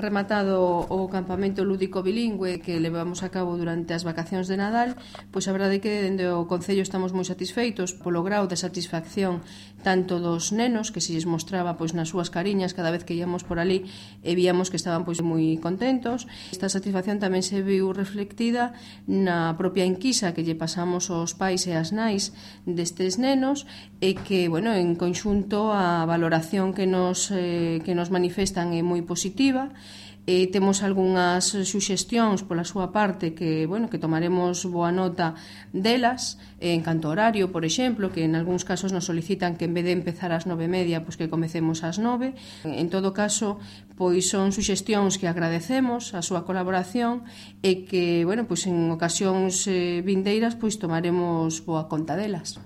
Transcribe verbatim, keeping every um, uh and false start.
Rematado o campamento lúdico bilingüe que levamos a cabo durante as vacacións de Nadal, pois a verdade é que dende o Concello estamos moi satisfeitos polo grau de satisfacción tanto dos nenos, que se lles mostraba pois nas súas cariñas cada vez que íamos por ali e víamos que estaban pois moi contentos. Esta satisfacción tamén se viu reflectida na propia enquisa que lle pasamos aos pais e as nais destes nenos e que, bueno, en conxunto a valoración que nos, eh, que nos manifestan é moi positiva. E temos algunhas suxestións pola súa parte que, bueno, que tomaremos boa nota delas en canto horario, por exemplo, que en algúns casos nos solicitan que en vez de empezar ás nove e media, pois que comecemos ás nove. En todo caso, pois son suxestións que agradecemos a súa colaboración e que, bueno, pois en ocasións eh, vindeiras pois tomaremos boa conta delas.